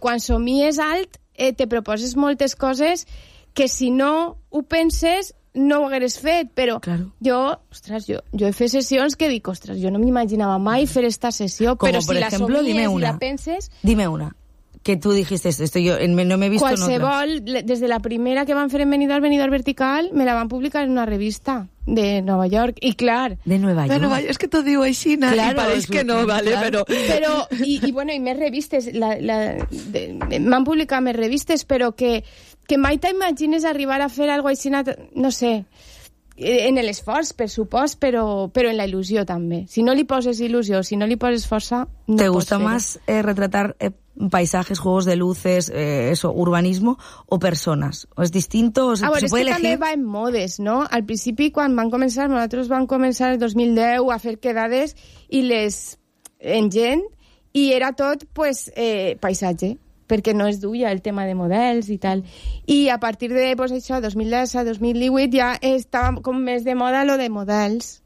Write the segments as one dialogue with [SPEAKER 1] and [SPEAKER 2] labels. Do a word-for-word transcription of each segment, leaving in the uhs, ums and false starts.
[SPEAKER 1] Quan somies alt, eh, te proposes moltes coses que si no ho penses no ho hagueres fet, però claro. jo, ostres, jo, jo he fet sessions que dic, ostres, jo no m'imaginava mai fer esta sessió,
[SPEAKER 2] Como
[SPEAKER 1] però
[SPEAKER 2] por
[SPEAKER 1] si
[SPEAKER 2] ejemplo,
[SPEAKER 1] la somies
[SPEAKER 2] dime una.
[SPEAKER 1] i la penses...
[SPEAKER 2] Dime una. Que tú dijiste esto, yo no me he visto
[SPEAKER 1] Qualsevol,
[SPEAKER 2] en otras.
[SPEAKER 1] desde la primera que van fer en Benidorm, Benidorm Vertical, me la van publicar en una revista de Nova York, i clar...
[SPEAKER 2] De Nueva York.
[SPEAKER 3] De Nueva York, és que t'ho diu així, claro, i pareix que no, vale,
[SPEAKER 1] claro.
[SPEAKER 3] però...
[SPEAKER 1] Però, i, i bueno, i més revistes, la, la, de, m'han publicat més revistes, però que, que mai t'imagines arribar a fer alguna cosa així, no sé, en l'esforç, per supost, però, però en la il·lusió també. Si no li poses il·lusió, si no li poses força, no
[SPEAKER 2] ¿Te
[SPEAKER 1] pots
[SPEAKER 2] gusta
[SPEAKER 1] fer-ho.
[SPEAKER 2] más eh, retratar eh, paisajes, juegos de luces, eh, eso, urbanismo o personas? ¿O es distinto? ¿O se,
[SPEAKER 1] ah, bueno,
[SPEAKER 2] se puede
[SPEAKER 1] és que
[SPEAKER 2] elegir?
[SPEAKER 1] també va en modes, no? Al principi, quan van començar, nosaltres vam començar el dos mil deu a fer quedades i les en gent, i era tot, pues, eh, paisatge, perquè no es duia el tema de models i tal. I a partir de, pues, això, dos mil deu a dos mil divuit ja estava com més de moda lo de models.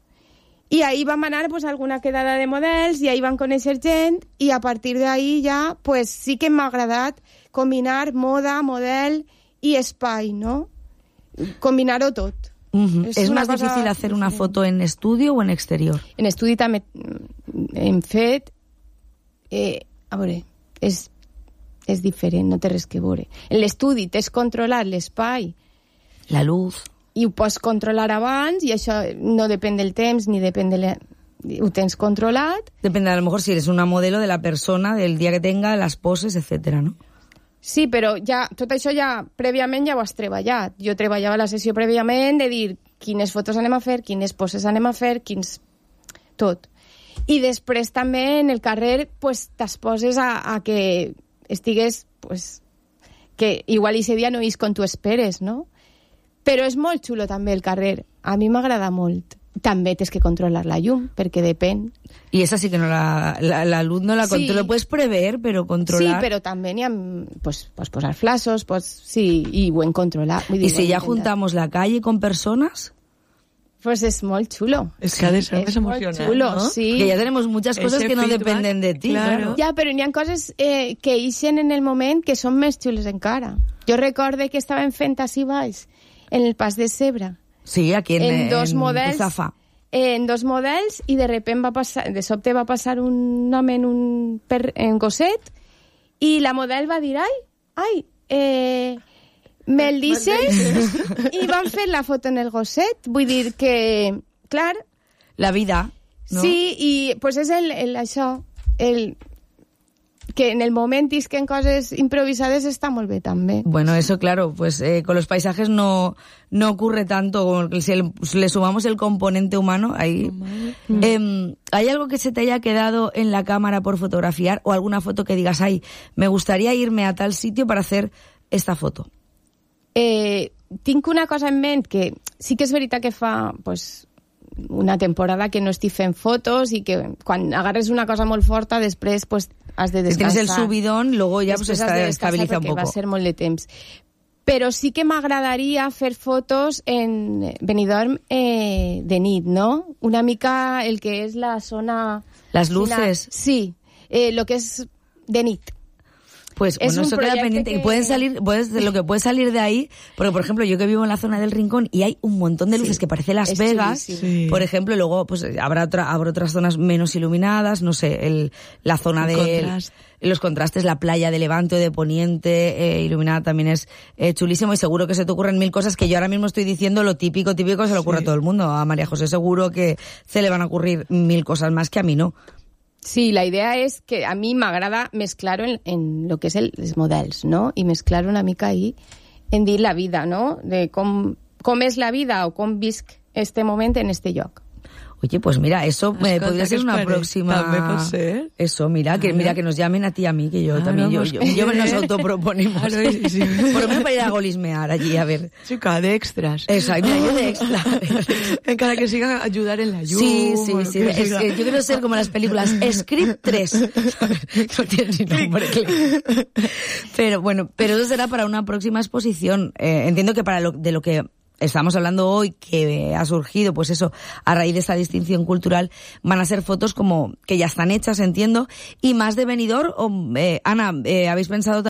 [SPEAKER 1] I ahí vam anar, pues, a alguna quedada de models i ahí van conèixer gent i a partir d'ahí ja, pues, sí que m'ha agradat combinar moda, model i espai, ¿no? Combinar-ho tot.
[SPEAKER 2] Uh-huh.
[SPEAKER 1] És
[SPEAKER 2] ¿Es
[SPEAKER 1] una
[SPEAKER 2] más
[SPEAKER 1] cosa
[SPEAKER 2] difícil hacer una
[SPEAKER 1] diferent.
[SPEAKER 2] foto en estudio o en exterior?
[SPEAKER 1] En estudi també hem fet... Eh, a veure, és, és diferent, no té res que veure. En l'estudi t'has controlat l'espai,
[SPEAKER 2] La luz...
[SPEAKER 1] i ho pots controlar abans, i això no depèn del temps ni depèn de la... ho tens controlat.
[SPEAKER 2] Depende, a lo mejor si eres una modelo de la persona, del día que tenga, las poses, etcétera, ¿no?
[SPEAKER 1] Sí, però ja, tot això ja prèviament ja ho has treballat. Jo treballava la sessió prèviament de dir quines fotos anem a fer, quines poses anem a fer, quins... tot. I després també en el carrer pues, t'exposes a, a que estigues... Pues, que igual ese dia no és com tu esperes, no? Però és molt xulo també el carrer. A mi m'agrada molt. També tens que controlar la llum, perquè depèn.
[SPEAKER 2] Y esa sí que no la, la, la luz no la
[SPEAKER 1] Sí.
[SPEAKER 2] controla. Lo puedes prever, pero controlar...
[SPEAKER 1] Sí, però també n'hi ha... Pues, pots posar flashes, pots, sí, i ho hem controlat. Vull
[SPEAKER 2] Y
[SPEAKER 1] dir,
[SPEAKER 2] si
[SPEAKER 1] ho hem
[SPEAKER 2] ya
[SPEAKER 1] intentat.
[SPEAKER 2] juntamos la calle con personas,
[SPEAKER 1] Pues és molt xulo.
[SPEAKER 3] És que ha de ser
[SPEAKER 1] És
[SPEAKER 3] més
[SPEAKER 1] molt
[SPEAKER 3] emocionant,
[SPEAKER 1] xulo,
[SPEAKER 3] no?
[SPEAKER 1] sí.
[SPEAKER 2] que ya tenemos muchas cosas
[SPEAKER 3] Ese
[SPEAKER 2] que no
[SPEAKER 3] feedback,
[SPEAKER 2] dependen de ti.
[SPEAKER 3] claro.
[SPEAKER 2] Claro.
[SPEAKER 1] Ja, però n'hi ha coses eh, que ixen en el moment que són més xules encara. Jo recorde que estàvem fent així baix, en el Pas de Cebre,
[SPEAKER 2] Sí, aquí en,
[SPEAKER 1] en dos
[SPEAKER 2] en
[SPEAKER 1] models,
[SPEAKER 2] Ruzafa.
[SPEAKER 1] en dos models, i de repente va passar, de sobte va passar un home en un per, en gosset, i la model va dir, ai, ai, eh, me'l deixes? I van fer la foto en el gosset. Vull dir que, clar,
[SPEAKER 2] La vida, ¿no?
[SPEAKER 1] sí, i pues és el, el, això, el, que en el moment isquen coses improvisades està molt bé també.
[SPEAKER 2] Bueno, eso claro, pues eh, con los paisajes no, no ocurre tanto, como que si el- le sumamos el componente humano, ahí... Eh, ¿Hay algo que se te haya quedado en la cámara por fotografiar o alguna foto que digas, ay, me gustaría irme a tal sitio para hacer esta foto?
[SPEAKER 1] Eh, tinc una cosa en ment que sí que és veritat que fa pues, una temporada que no estic fent fotos i que quan agarres una cosa molt forta després pues, has de
[SPEAKER 2] Si
[SPEAKER 1] descansar.
[SPEAKER 2] tienes el subidón, luego ya pues
[SPEAKER 1] Després has
[SPEAKER 2] está,
[SPEAKER 1] de descansar
[SPEAKER 2] estabiliza un
[SPEAKER 1] perquè
[SPEAKER 2] poco.
[SPEAKER 1] va ser molt de temps. Però sí que m'agradaria fer fotos en Benidorm eh, de nit, no? Una mica el que és la zona...
[SPEAKER 2] Las luces.
[SPEAKER 1] Sí, eh, lo que es de nit.
[SPEAKER 2] Pues
[SPEAKER 1] Es
[SPEAKER 2] bueno,
[SPEAKER 1] un
[SPEAKER 2] eso queda
[SPEAKER 1] proyecto
[SPEAKER 2] pendiente.
[SPEAKER 1] que-
[SPEAKER 2] Y pueden salir, puedes, lo que puede salir de ahí, porque por ejemplo, yo que vivo en la zona del Rincón y hay un montón de luces
[SPEAKER 1] Sí,
[SPEAKER 2] que parece Las
[SPEAKER 1] es
[SPEAKER 2] Vegas,
[SPEAKER 1] chulísimo.
[SPEAKER 3] Sí.
[SPEAKER 2] por ejemplo, y luego pues habrá otra, habrá otras zonas menos iluminadas, no sé, el, la zona
[SPEAKER 3] El
[SPEAKER 2] de
[SPEAKER 3] contraste.
[SPEAKER 2] los contrastes, la playa de Levante o de Poniente, eh, iluminada también es eh, chulísimo, y seguro que se te ocurren mil cosas que yo ahora mismo estoy diciendo lo típico, típico se le ocurre
[SPEAKER 3] Sí.
[SPEAKER 2] a todo el mundo. A María José seguro que se le van a ocurrir mil cosas más que a mí no.
[SPEAKER 1] Sí, la idea és que a mi m'agrada mesclar-ho en, en lo que és el, els models, no? I mesclar una mica ahí en dir la vida, no? De com, com és la vida o com visc este moment en este lloc.
[SPEAKER 2] Oye, pues mira, eso me
[SPEAKER 3] Escolta,
[SPEAKER 2] podría
[SPEAKER 3] ¿qué
[SPEAKER 2] ser
[SPEAKER 3] os
[SPEAKER 2] una
[SPEAKER 3] parece?
[SPEAKER 2] próxima...
[SPEAKER 3] També pot ser.
[SPEAKER 2] Eso, mira, que
[SPEAKER 3] Claro.
[SPEAKER 2] mira que nos llamen a ti y a mí, que yo
[SPEAKER 3] Claro,
[SPEAKER 2] también, yo,
[SPEAKER 3] pues
[SPEAKER 2] yo,
[SPEAKER 3] que-
[SPEAKER 2] yo nos autoproponemos.
[SPEAKER 3] Claro, sí, sí.
[SPEAKER 2] Por lo menos para ir a golismear allí, a ver.
[SPEAKER 3] Chica, de extras.
[SPEAKER 2] Eso, ay, mira, yo de extra.
[SPEAKER 3] Encara que siga ayudar en la llum.
[SPEAKER 2] Sí, sí,
[SPEAKER 3] o
[SPEAKER 2] sí.
[SPEAKER 3] que
[SPEAKER 2] Es-
[SPEAKER 3] siga-
[SPEAKER 2] eh, yo quiero ser como las películas Script tres. No tiene ni nombre. Click. Pero bueno, pero eso será para una próxima exposición. Eh, entiendo que para lo, de lo que estamos hablando hoy, que ha surgido, pues eso, a raíz de esta distinción cultural, van a ser fotos como que ya están hechas, entiendo, y más de Benidorm. O, eh, Ana, eh, ¿habéis pensado